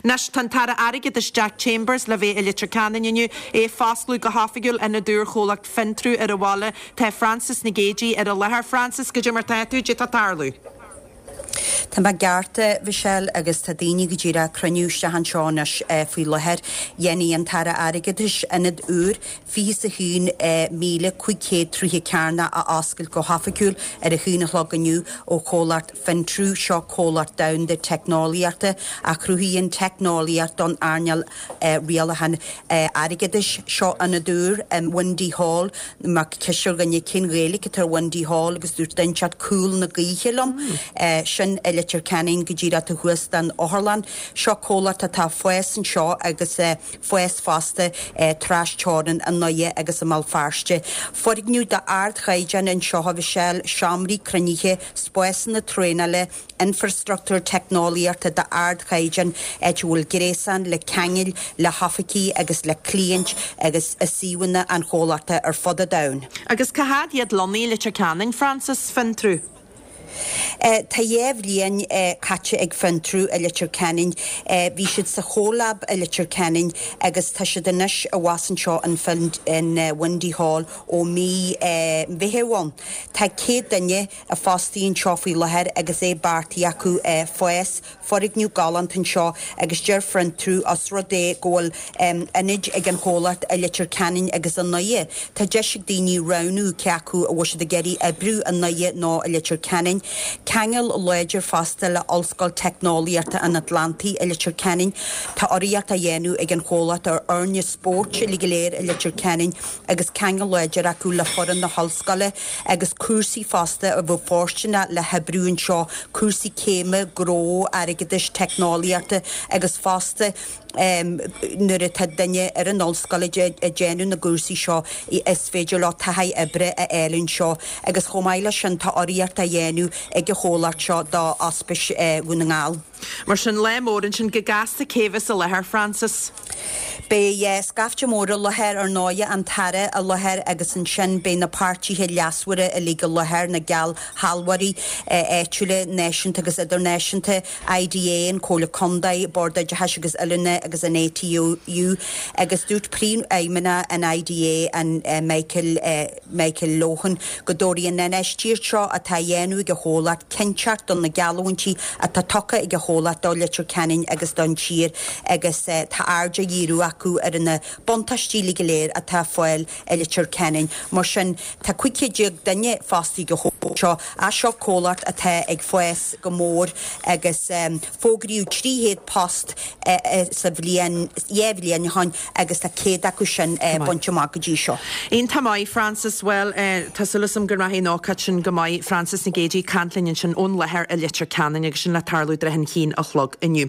Anois, tá an tAire Airgeadais Jack Chambers le bheith i Leitir Ceanainn inniu, é ag foscladh go hoifigiúil ionad úr chomhlacht Fintru ar an bhaile. Tá Frances Nic Géadaigh ar an láthair. Frances, goidé mar tá tú, goidé tá ag tarlú? Tá mé ceart, a Mhichelle, agus tá daoine go díreach ag cruinniú isteach anseo anois faoi láthair. Déanfaidh an tAire Airgeadais ionad úr 21,500 troighe cearnach a oscailt go hoifigiúil ar a haon a chlog inniu ó chomhlacht Fintru, seo comhlacht domhanda teicneolaíochta a chruthaíonn teicneolaíocht don earnáil rialacháin airgeadais. Seo ionad úr in Windy Hall. Mé ag ceistiú dhuine cén Ghaeilge atá ar Windy Hall agus dúirt duine inteacht Cúl na Gaoithe liom. Sin i Leitir Ceanainn go díreach taobh thuas den otharlann. Seo comhlacht atá ag fás anseo agus fás fosta trasteorann i nDoire agus i mBéal Feirste. Foirgneamh d'ardchaighdeán anseo a Mhichelle, seomraí cruinnithe, spásanna traenála, infreastruchtúr teicneolaíochta d'ardchaighdeán, áit a bhfuil gréasán le ceangail le hoifigí agus le cliaint agus i suíomhanna an chomhlachta ar fud an domhain. Agus cá fhad iad lonnaithe i Leitir Ceanainn, Frances, Fintru? Tá 2 bhliain caite ag Fintru i Leitir Ceanainn. Bhí siad sa CoLab i Leitir Ceanainn agus tá siad anois abhus anseo in Windy Hall ó mí Mheitheamh ann. Tá 100 duine fostaithe anseo faoi láthair agus é beartaithe acu fás. Foirgneamh galánta anseo agus deir Fintru os rud é go bhfuil ionaid ag an chomhlacht i Leitir Ceanainn agus i nDoire, tá deis ag daoine roghnú cé acu a bhfuil siad ag iarraidh oibriú i nDoire nó i Leitir Ceanainn. Ceangal láidir fosta le Ollscoil Teicneolaíochta an Atlantaigh i Leitir Ceanainn. Tá urraíocht á dhéanamh ag an chomhlacht ar fhoirne spóirt uilig go léir i Leitir Ceanainn. agus ceangal láidir acu le foireann na hollscoile agus cúrsaí fosta a bheadh fóirsteanach le hoibriú anseo, cúrsaí céime, gnó, airgeadais, teicneolaíochta agus fosta nuair atá duine ar an ollscoil ag déanamh na gcúrsaí seo is féidir leo taithí oibre a fháil anseo agus chomh maith leis sin tá urraíocht á dhéanamh ag an chomhlacht seo do Ospís Dhún na nGall. Mar sin, lá mór ansin. Go gasta cé bheas i láthair, Frances? Beidh scaifte mór i láthair, ar ndóighe, an tAire i láthair agus ansin beidh na páirtithe leasmhara uilig i láthair, na geallshealbhóirí áitiúla, náisiúnta agus idirnáisiúnta, IDA, an Chomhairle Contae, Bord Oideachais agus Oiliúna agus an ATU agus dúirt Príomhfheidhmeannach an IDA, an Michael, Michael Lohan, go dtabharfaidh an infheistíocht seo atá á dhéanamh ag an chomhlacht cinnteacht do na geallúintí atá tugtha ag an chomhlacht do Leitir Ceanainn agus don tír agus tá aird á dhíriú acu ar na buntáistí uilig go léir atá ar fáil i Leitir Ceanainn. Mar sin, tá 1500 duine fostaithe ag an chomhlacht seo. Seo comhlacht atá ag fás go mór agus fógraíodh 300 post sa bhliain, 2 bhliain ó shin agus tá 100 acu sin bainte amach go dtí seo. Iontach maith, Frances. Bhuel, tá súil agam go rachaidh an ócáid sin go maith. Frances Nic Géadaigh ag caint linn ansin ón láthair i Leitir Ceanainn agus sin le tarlú i dtrátha an haon a chlog inniu.